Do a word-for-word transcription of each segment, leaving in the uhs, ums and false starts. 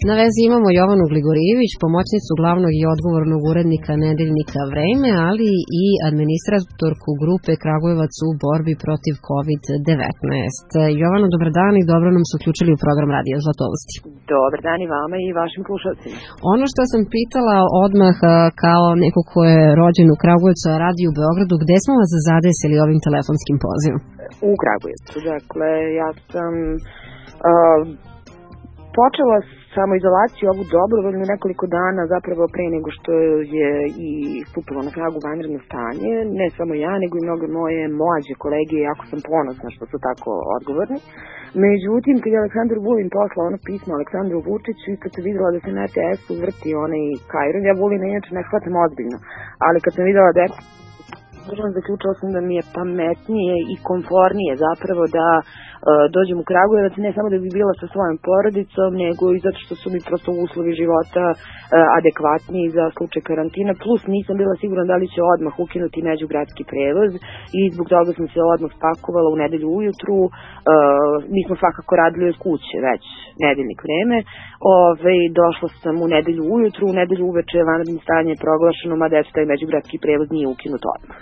Na vezi imamo Jovanu Gligorijević, pomoćnicu glavnog i odgovornog urednika nedeljnika Vreme, ali i administratorku grupe Kragujevac u borbi protiv kovid devetnaest. Jovano, dobar dan i dobro nam se uključili u program Radija Zlatovosti. Dobar dan i vama i vašim slušalcima. Ono što sam pitala odmah kao neko ko je rođen u Kragujevcu, a radi u Beogradu, gde smo vas zadesili ovim telefonskim pozivom? U Kragujevcu, dakle, ja sam uh, počela samoizolaciju ovu dobrovoljnu nekoliko dana zapravo pre nego što je i stupilo na snagu vanredno stanje. Ne samo ja, nego i mnoge moje mlađe kolege, jako sam ponosna što su tako odgovorni. Međutim, kad je Aleksandar Vulin poslao ono pismo Aleksandru Vučiću i kad se videla da se na er te esu vrti onaj Kajron, ja Vulina inače ne shvatam ozbiljno, ali kad sam videla da je zaključila sam da mi je pametnije i komfornije zapravo da uh, dođem u Kragujevac, ne samo da bi bila sa svojom porodicom, nego i zato što su mi prosto uslovi života uh, adekvatniji za slučaj karantina, plus nisam bila sigurna da li će odmah ukinuti međugradski prevoz i zbog toga sam se odmah spakovala u nedelju ujutru. Uh, mi smo svakako radili od kuće već nedeljnik Vreme. Ove, došla sam u nedelju ujutru, u nedelju uveče vanredno stanje je proglašeno, mada eto taj međugradski prevoz nije ukinut odmah.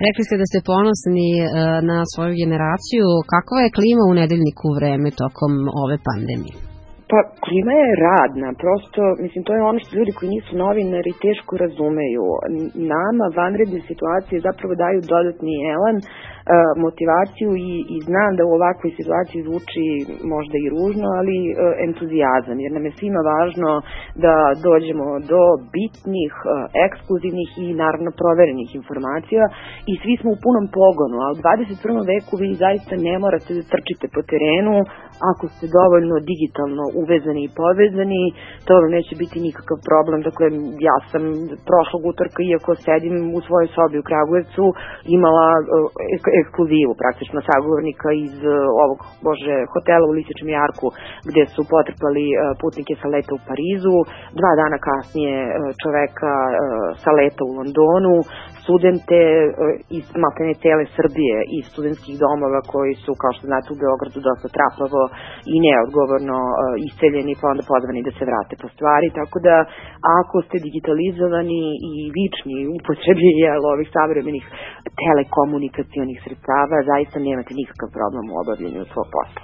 Rekli ste da ste ponosni uh, na svoju generaciju. Kakva je klima u nedeljniku Vreme tokom ove pandemije? Pa, klima je radna, prosto, mislim, to je ono što ljudi koji nisu novinari teško razumeju. Nama vanredne situacije zapravo daju dodatni elan, motivaciju i, i znam da u ovakvoj situaciji zvuči možda i ružno, ali entuzijazam, jer nam je svima važno da dođemo do bitnih, ekskluzivnih i naravno proverenih informacija i svi smo u punom pogonu, a u dvadeset prvom veku vi zaista ne morate da trčite po terenu ako ste dovoljno digitalno uvezani i povezani, to vam neće biti nikakav problem. Dakle, ja sam prošlog utorka, iako sedim u svojoj sobi u Kragujevcu, imala ekskluzivu praktično sagovornika iz ovog, bože, hotela u Lisičnom jarku gde su potrpali putnike sa leta u Parizu, dva dana kasnije čoveka sa leta u Londonu, studente iz maltene cele Srbije iz studentskih domova koji su, kao što znate, u Beogradu dosta trapavo i neodgovorno iseljeni pa onda pozvani da se vrate po stvari, tako da ako ste digitalizovani i vični u upotrebi ovih savremenih telekomunikacionih sredstava, zaista nemate nikakav problem u obavljanju svog posla.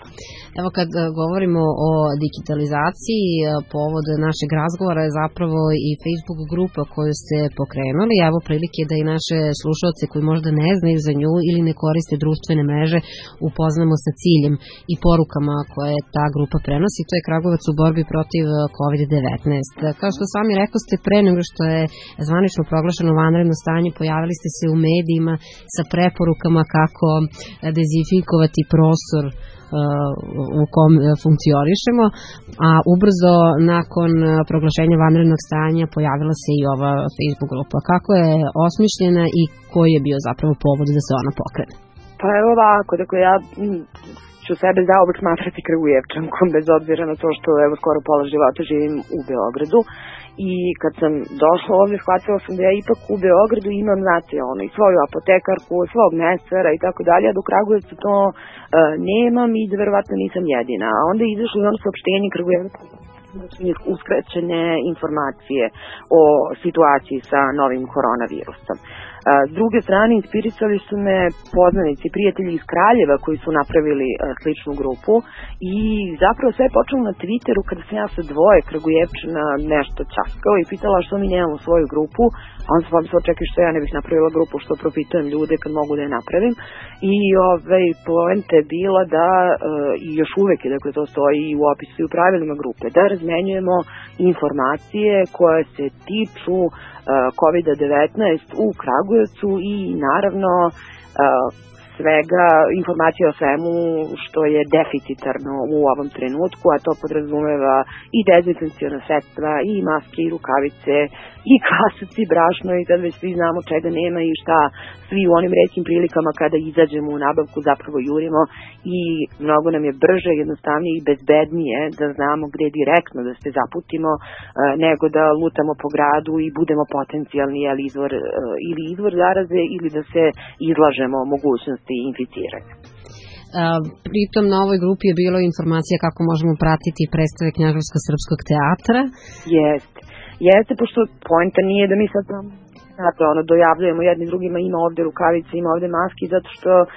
Evo, kad govorimo o digitalizaciji, povod našeg razgovora je zapravo i Facebook grupa koju ste pokrenuli. Evo prilike da i naše slušalce koji možda ne znaju za nju ili ne koriste društvene mreže upoznamo sa ciljem i porukama koje ta grupa prenosi. To je Kragujevac u borbi protiv kovid devetnaest. Kao što sami rekao ste, pre nego što je zvanično proglašeno vanredno stanje, pojavili ste se u medijima sa preporukama kako dezinfikovati prostor u kom funkcionišemo, a ubrzo nakon proglašenja vanrednog stanja pojavila se i ova Facebook grupa. Kako je osmišljena i koji je bio zapravo povod da se ona pokrene? Pa evo ovako, dakle ja ću sebe zaobek smatrati Kragujevčankom, bez obzira na to što evo skoro pola života živim u Beogradu. I kad sam došla ovdje, shvatila sam da ja ipak u Beogradu imam, znate, ono, i svoju apotekarku, svog mesara i tako dalje, a do Kragujevca to uh, nemam i da verovatno nisam jedina. A onda je izašlo i ono saopštenje Kragujevca da su njih uskraćene informacije o situaciji sa novim koronavirusom. S druge strane, inspirisali su me poznanici, prijatelji iz Kraljeva koji su napravili sličnu grupu i zapravo sve je počelo na Twitteru kada sam ja sa dvoje Kragujevčana nešto časkao i pitala što mi nemamo svoju grupu, a on se pomislila, čekaj što ja ne bih napravila grupu, što profitujem ljude kad mogu da je napravim. I ovaj, poenta je bila da, i još uvek je, dakle to stoji i u opisu i u pravilima grupe, da razmenjujemo informacije koje se tiču kovid devetnaest u Kragujevcu i naravno svega, informacija o svemu što je deficitarno u ovom trenutku, a to podrazumeva i dezinfekciona sredstva, i maske, i rukavice, i kasac, i brašno, i sad već svi znamo čega nema i šta svi u onim retkim prilikama kada izađemo u nabavku zapravo jurimo i mnogo nam je brže, jednostavnije i bezbednije da znamo gde direktno da se zaputimo nego da lutamo po gradu i budemo potencijalni izvor, ili izvor zaraze ili da se izlažemo mogućnosti inficiranja. Pritom na ovoj grupi je bilo informacija kako možemo pratiti predstave Knjaževsko-srpskog teatra. Jeste, jeste, pošto poenta nije da mi sad tam znate, ono, dojavljujemo jedni drugima, ima ovde rukavice, ima ovde maski, zato što uh,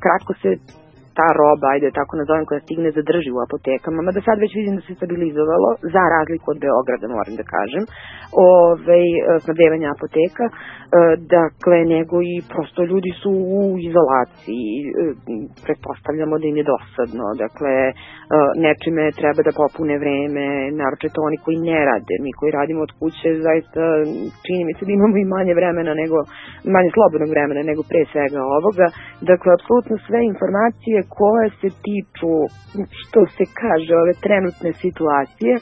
kratko se ta roba, ajde tako nazovem, koja stigne zadrži u apotekama, mada sad već vidim da se stabilizovalo, za razliku od Beograda, moram da kažem, ove, snabdevanja apoteka, dakle, nego i prosto ljudi su u izolaciji, pretpostavljamo da im je dosadno, dakle, nečime treba da popune vreme, naročito oni koji ne rade, mi koji radimo od kuće, zaista čini mi se da imamo i manje vremena nego, manje slobodnog vremena nego pre svega ovoga, dakle, apsolutno sve informacije koje se tiču, što se kaže, ove trenutne situacije,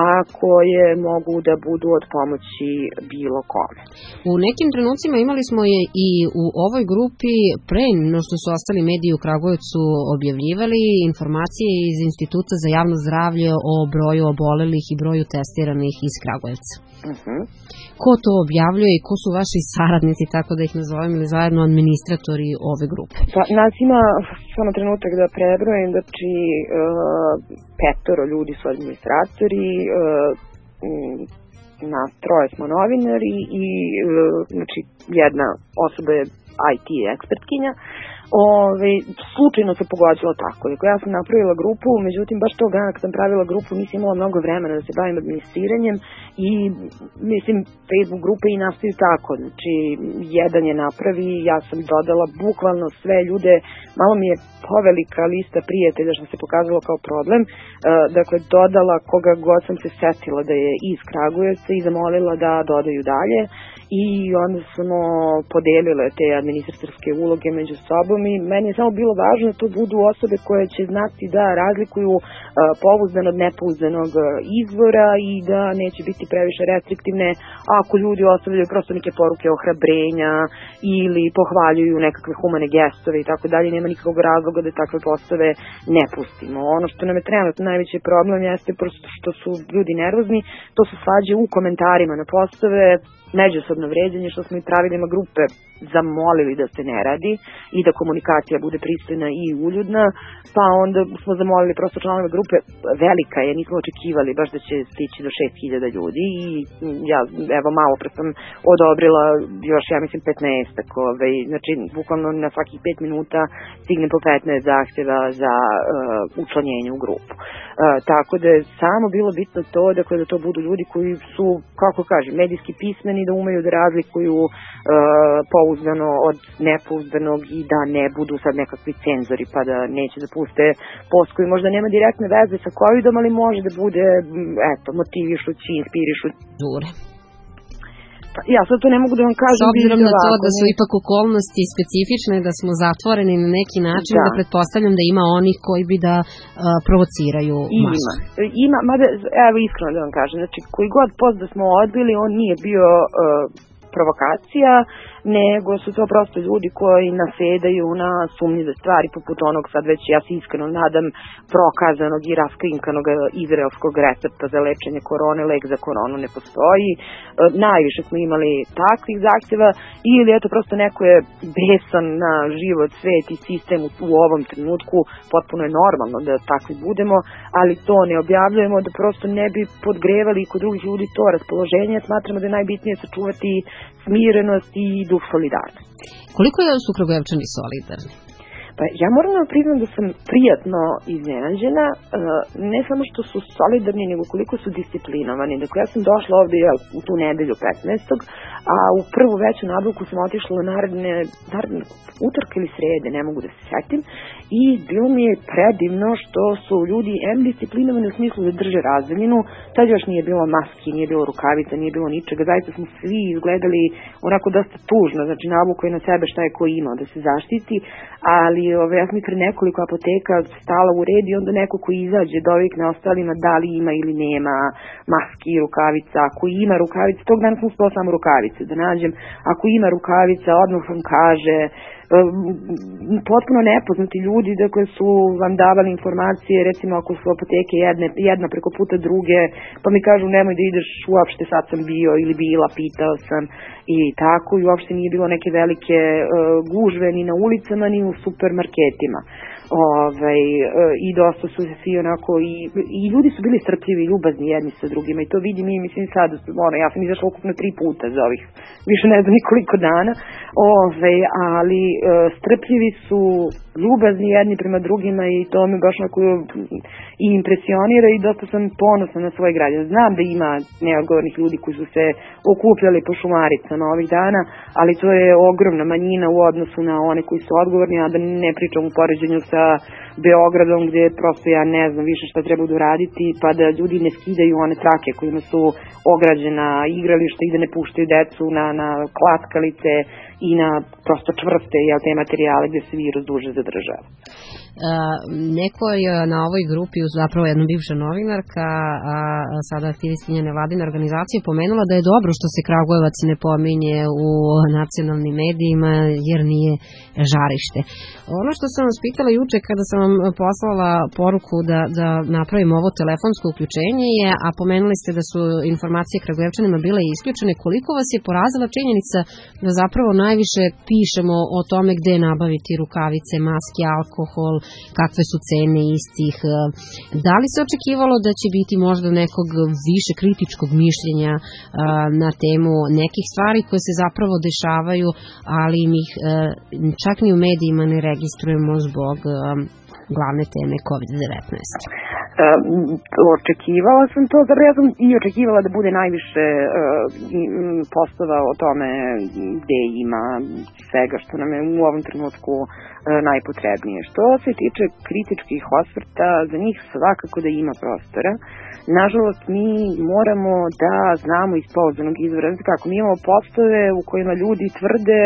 a koje mogu da budu od pomoći bilo kome. U nekim trenucima imali smo je i u ovoj grupi, pre no što su ostali mediji u Kragujevcu objavljivali informacije iz Instituta za javno zdravlje o broju obolelih i broju testiranih iz Kragujevca. Uh-huh. Ko to objavljuje i ko su vaši saradnici, tako da ih nazovem, ili zajedno administratori ove grupe? Pa, nas ima, samo trenutak da prebrojim, znači uh, petoro ljudi su administratori, uh, nas troje smo novinari i uh, znači jedna osoba je I T ekspertkinja. Ove, slučajno se pogođilo tako. Dakle, ja sam napravila grupu, međutim, baš tog dana kad sam pravila grupu nisam imala mnogo vremena da se bavim administriranjem i, mislim, Facebook grupe i nastaju tako. Znači, jedan je napravi, ja sam dodala bukvalno sve ljude, malo mi je povelika lista prijatelja što se pokazalo kao problem. E, dakle, dodala koga god sam se setila da je iz Kragujevca i zamolila da dodaju dalje. I onda smo podelile te administratorske uloge među sobom i meni je samo bilo važno da to budu osobe koje će znati da razlikuju uh, pouzdan od nepouzdanog izvora i da neće biti previše restriktivne ako ljudi ostavljaju prosto neke poruke ohrabrenja ili pohvaljuju nekakve humane gestove i tako dalje. Nema nikakvog razloga da takve postave ne pustimo. Ono što nam je trenutno najveći problem jeste prosto što su ljudi nervozni, to su svađe u komentarima na postave, međusobno vređanje, što smo i pravilima grupe zamolili da se ne radi i da komunikacija bude pristojna i uljudna, pa onda smo zamolili prosto članove grupe, velika je, nismo očekivali baš da će stići do šest hiljada ljudi i ja, evo, malo pre sam odobrila još, ja mislim, petnaestak, ovaj, znači, bukvalno na svakih pet minuta stigne po petnaest zahtjeva za uh, učlanjenje u grupu. Uh, tako da je samo bilo bitno to, dakle, da to budu ljudi koji su, kako kažem, medijski pismeni, da umeju da razlikuju uh, pouzdano od nepouzdanog i da ne budu sad nekakvi cenzori pa da neće da puste post koji možda nema direktne veze sa covidom, ali može da bude, eto, motivišući, inspirišući. Dure. Pa, ja sad to ne mogu da vam kažem. S obzirom na to da su ipak okolnosti specifične, da smo zatvoreni na neki način, da, da pretpostavljam da ima onih koji bi da uh, provociraju masu. Ima, ima, mada, evo iskreno da vam kažem, znači koji god post da smo odbili, on nije bio uh, provokacija, nego su to prosto ljudi koji nasedaju na sumnjive stvari, poput onog, sad već ja se iskreno nadam, prokazanog i raskrinkanog izraelskog recepta za lečenje korone, lek za koronu ne postoji. E, najviše smo imali takvih zahtjeva, ili eto prosto neko je besan na život, svet i sistem u, u ovom trenutku, potpuno je normalno da takvi budemo, ali to ne objavljujemo da prosto ne bi podgrevali kod drugih ljudi to raspoloženje. Smatramo da je najbitnije sačuvati smirenost i duh solidarnosti. Koliko je su Kragujevčani solidarni? Pa ja moram da priznam da sam prijatno iznenađena, ne samo što su solidarni, nego koliko su disciplinovani. Dakle, ja sam došla ovde ja, u tu nedelju petnaestog a u prvu veću nabavku sam otišla naredne, naredne utorka ili srede, ne mogu da se setim, i bilo mi je predivno što su ljudi em disciplinovani u smislu da drže razdaljinu, tad još nije bilo maski, nije bilo rukavica, nije bilo ničega, zaista smo svi izgledali onako dosta tužno, znači nabuko je na sebe šta je ko imao da se zaštiti, ali ove, ja sam i pre nekoliko apoteka stala u red i onda neko koji izađe dovikne ostalima da li ima ili nema maski, rukavica, ako ima rukavica, tog dana sam spala samo rukavice da nađem, ako ima rukavica odmah vam kaže, potpuno nepoznati ljudi dakle su vam davali informacije, recimo ako su apoteke jedne, jedna preko puta druge, pa mi kažu nemoj da ideš uopšte, sad sam bio ili bila, pitao sam i tako, i uopšte nije bilo neke velike uh, gužve ni na ulicama ni u supermarketima. Ove, i dosta su se svi onako i, i ljudi su bili strpljivi i ljubazni jedni sa drugima i to vidim i mislim sad, ono, ja sam izašla ukupno tri puta za ovih više ne znam nikoliko dana, Ove, ali e, strpljivi su, ljubazni jedni prema drugima i to me baš onako i impresionira i dosta sam ponosna na svoj građan. Znam da ima neodgovornih ljudi koji su se okupljali po šumaricama ovih dana, ali to je ogromna manjina u odnosu na one koji su odgovorni, a da ne pričam u poređenju sa Beogradom gdje prosto ja ne znam više šta treba da uraditi, pa da ljudi ne skidaju one trake kojima su ograđena igrališta i da ne puštaju decu na, na klackalice i na prosto čvrste jel, te materijale gdje se virus duže zadržava. Uh, neko je na ovoj grupi, zapravo jedna bivša novinarka, a sada aktivistkinja nevladine organizacije, pomenula da je dobro što se Kragujevac ne pominje u nacionalnim medijima jer nije žarište. Ono što sam vas pitala juče kada sam vam poslala poruku da, da napravimo ovo telefonsko uključenje je, a pomenuli ste da su informacije Kragujevčanima bile isključene, koliko vas je porazila činjenica da zapravo najviše pišemo o tome gde nabaviti rukavice, maske, alkohol, kakve su cene istih. Da li se očekivalo da će biti možda nekog više kritičkog mišljenja na temu nekih stvari koje se zapravo dešavaju, ali ih čak ni u medijima ne registrujemo zbog glavne teme kovid devetnaest? Uh, očekivala sam to, zato ja sam i očekivala da bude najviše uh, postova o tome gde ima svega što nam je u ovom trenutku uh, najpotrebnije. Što se tiče kritičkih osvrta, za njih svakako da ima prostora. Nažalost, mi moramo da znamo iz pouzdanog izvora. Znači kako, mi imamo postove u kojima ljudi tvrde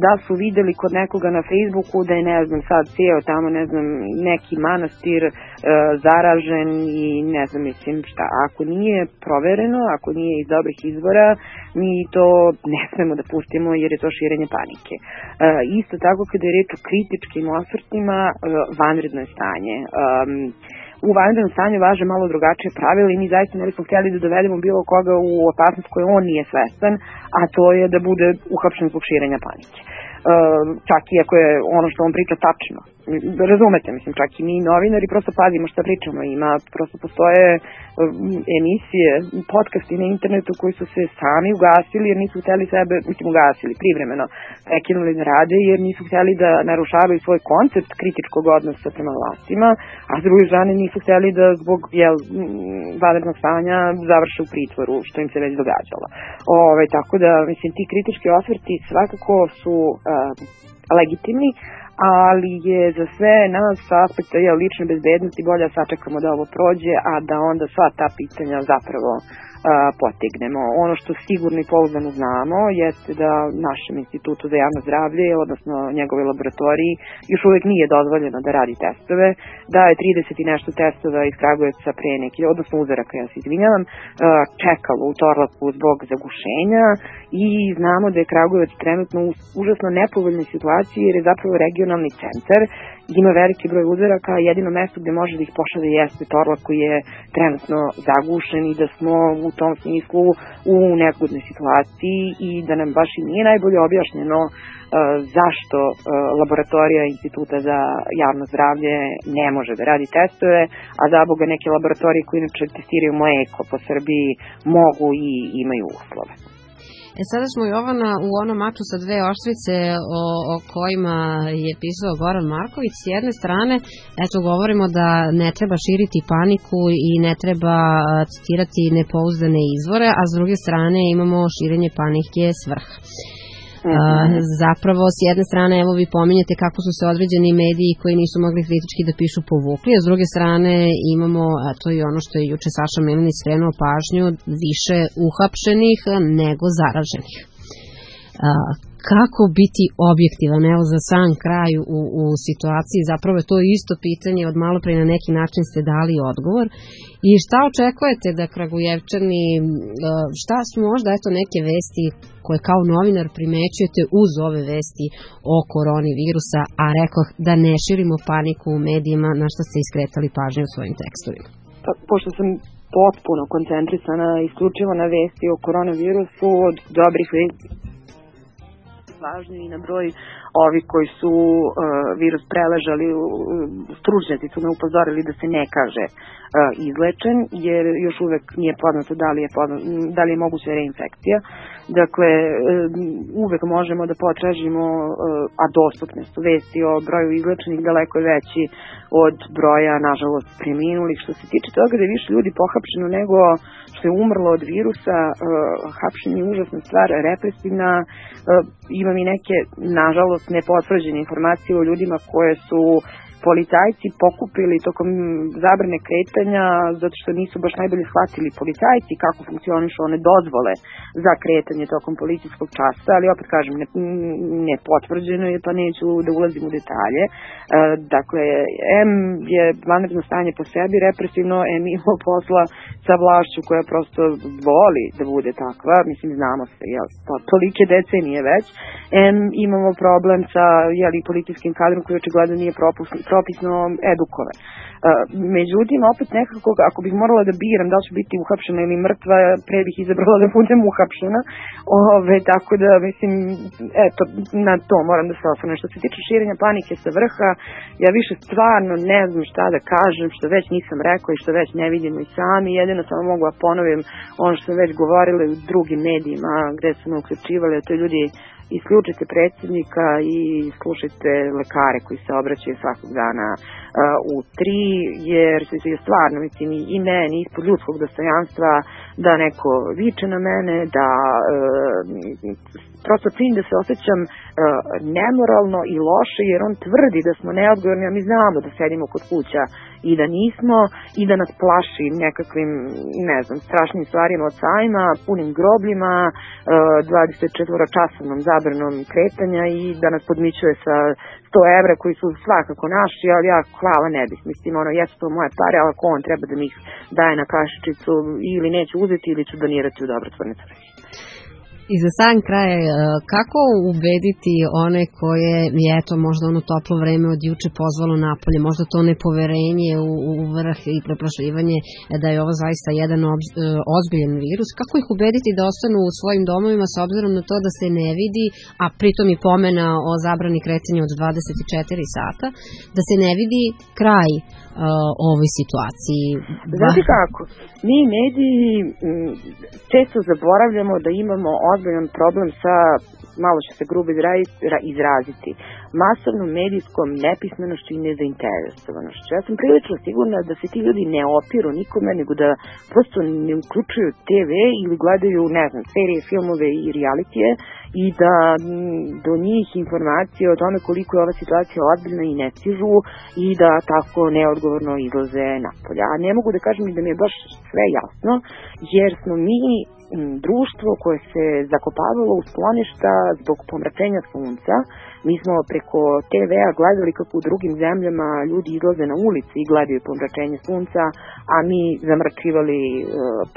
da su videli kod nekoga na Facebooku da je, ne znam, sad cijel tamo, ne znam, neki manastir e, zaražen i ne znam, mislim šta. Ako nije provereno, ako nije iz dobrih izvora, mi to ne smemo da pustimo jer je to širenje panike. E, isto tako kada je reč o kritičkim osvrtima, e, vanredno je stanje. E, U vanrednom stanju važe malo drugačije pravila i mi zaista ne bismo htjeli da dovedemo bilo koga u opasnost koju on nije svestan, a to je da bude uhapšen zbog širenja panike. E, čak i ako je ono što on priča tačno. Razumete, mislim, čak i mi novinari prosto pazimo šta pričamo. Ima, prosto postoje emisije, podcasti na internetu koji su se sami ugasili jer nisu htjeli sebe, mislim ugasili, privremeno prekinuli da rade jer nisu htjeli da narušavaju svoj koncept kritičkog odnosa prema vlastima, a s druge strane nisu htjeli da zbog jel, vanrednog stanja završe u pritvoru, što im se već događalo. Ove, tako da, mislim, ti kritički osvrti svakako su uh, legitimni, ali je za sve nas sa aspekta je, lične bezbednosti bolje sačekamo da ovo prođe, a da onda sva ta pitanja zapravo a, potegnemo. Ono što sigurno i pouzdano znamo jeste da našem institutu za javno zdravlje, odnosno njegovoj laboratoriji, još uvijek nije dozvoljeno da radi testove, da je trideset i nešto testova iz Kragujevca pre neki, odnosno uzoraka, ja se izvinjavam, čekalo u Torlaku zbog zagušenja i znamo da je Kragujevac trenutno u užasno nepovoljnoj situaciji jer je zapravo regionalni centar, ima veliki broj uzoraka, jedino mesto gde može da ih pošalje jeste Torlak koji je trenutno zagušen i da smo u tom smislu u neugodnoj situaciji i da nam baš i nije najbolje objašnjeno uh, zašto uh, laboratorija Instituta za javno zdravlje ne može da radi testove, a za Boga neke laboratorije koje inače testiraju mleko po Srbiji mogu i imaju uslove. E sada smo, Jovana, u onom maču sa dve oštrice o, o kojima je pisao Goran Marković. S jedne strane, eto, govorimo da ne treba širiti paniku i ne treba citirati nepouzdane izvore, a s druge strane imamo širenje panike svrha. Uh, zapravo s jedne strane evo vi pominjete kako su se određeni mediji koji nisu mogli kritički da pišu povukli, a s druge strane imamo, a to je ono što je juče Saša Milinić skrenuo pažnju, više uhapšenih nego zaraženih. Uh, kako biti objektivan, evo za sam kraj u, u situaciji, zapravo je to isto pitanje, od malo pre na neki način ste dali odgovor. I šta očekujete da Kragujevčani, šta su možda eto neke vesti koje kao novinar primećujete uz ove vesti o koronavirusa, a rekoh da ne širimo paniku u medijima, na što ste iskretali pažnju u svojim tekstovima? Pa, pošto sam potpuno koncentrisana isključivo na vesti o koronavirusu, od dobrih vesti važni i na broj ovi koji su uh, virus preležali, uh, stručnjaci su me upozorili da se ne kaže uh, izlečen, jer još uvek nije poznato da li je, poznato, da li je moguća reinfekcija. Dakle, uh, uvek možemo da potražimo, uh, a dostupne su vesti o broju izlečenih daleko veći od broja, nažalost, preminulih. Što se tiče toga da je više ljudi pohapšeno nego što je umrlo od virusa, uh, hapšenje je užasna stvar, represivna, uh, imam i neke, nažalost, nepotvrđene informacije o ljudima koje su policajci pokupili tokom zabrane kretanja, zato što nisu baš najbolje shvatili policajci kako funkcionišu one dozvole za kretanje tokom policijskog časa, ali opet kažem, ne, ne potvrđeno je, pa neću da ulazim u detalje. E, dakle, M je vanredno stanje po sebi represivno, M ima posla sa vlašću koja prosto voli da bude takva, mislim, znamo se, jel, to, tolike decenije već. M imamo problem sa, jeli, policijskim kadrom koji očigledno nije propusno propisno edukovan. Međutim, opet nekako, ako bih morala da biram da li ću biti uhapšena ili mrtva, pre bih izabrala da budem uhapšena. Ove, tako da, mislim, eto, na to moram da se osvrnem. Što se tiče širenja panike sa vrha, ja više stvarno ne znam šta da kažem, što već nisam rekla i što već ne vidimo i sami. Jedino samo mogu da ponovim ono što sam već govorila u drugim medijima gde su me uključivali, a to je ljudi, isključite predsjednika i slušajte lekare koji se obraćaju svakog dana uh, u tri, jer se stvarno, mislim, i meni ispod ljudskog dostojanstva da neko viče na mene, da uh, prosto cilj da se osjećam uh, nemoralno i loše, jer on tvrdi da smo neodgovorni, a mi znamo da sedimo kod kuća i da nismo, i da nas plaši nekakvim, ne znam, strašnim stvarima od sajma, punim grobljima, uh, dvadeset četiri časovnom zabranom kretanja i da nas podmićuje sa sto evra koji su svakako naši, ali ja hvala ne bih. Mislim, ono, jesu to moje pare, ali ako on treba da mi ih daje na kašičicu, ili neću uzeti ili ću donirati u dobrotvorne svrhe. I za sam kraj, kako ubediti one koje je eto možda ono toplo vreme od juče pozvalo napolje, možda to nepoverenje u, u vrh i preplašivanje da je ovo zaista jedan obz, ozbiljan virus, kako ih ubediti da ostanu u svojim domovima s obzirom na to da se ne vidi, a pritom i pomena o zabrani kretanja od dvadeset četiri sata, da se ne vidi kraj uh, ovoj situaciji? Znate kako, mi mediji m, često zaboravljamo da imamo ozbiljan problem sa, malo će se grubo izraziti, masovnom medijskom nepismenošću i nezainteresovanošću. Ja sam prilično sigurna da se ti ljudi ne opiru nikome, nego da prosto ne uključuju te ve ili gledaju, ne znam, serije, filmove i realitije i da do njih informacije o tome koliko je ova situacija ozbiljna i ne stižu i da tako neodgovorno izlaze napolje. A ne mogu da kažem da mi je baš sve jasno, jer smo mi društvo koje se zakopavalo u skloništa zbog pomračenja sunca. Mi smo preko te vea gledali kako u drugim zemljama ljudi izlaze na ulici i gledaju pomračenje sunca, a mi zamračivali uh,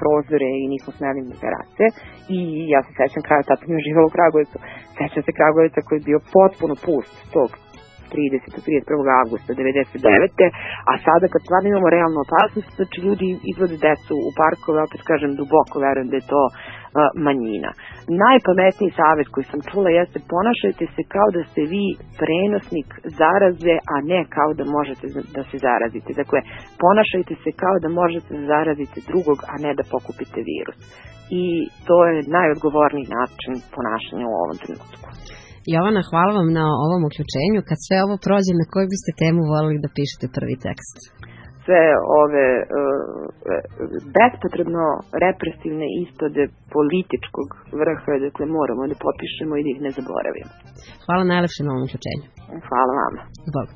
prozore i nismo smeli na terase. I ja se sećam kraja, tad sam još živala u Kragujevcu, sećam se Kragujevca koji je bio potpuno pust tog tridesetog do trideset prvog avgusta devedeset devete. A sada kad stvarno imamo realnu opasnost, znači ljudi izvode decu u parkove, opet kažem, duboko verujem da je to uh, manjina. Najpametniji savjet koji sam čula jeste ponašajte se kao da ste vi prenosnik zaraze, a ne kao da možete da se zarazite. Dakle, ponašajte se kao da možete da zarazite drugog, a ne da pokupite virus. I to je najodgovorniji način ponašanja u ovom trenutku. Jovana, hvala vam na ovom uključenju. Kad sve ovo prođe, na koju biste temu volili da pišete prvi tekst? Sve ove uh, bespotrebno represivne ispade političkog vrha, dakle moramo da popišemo i da ih ne zaboravimo. Hvala najlepše na ovom uključenju. Hvala vama. Bog.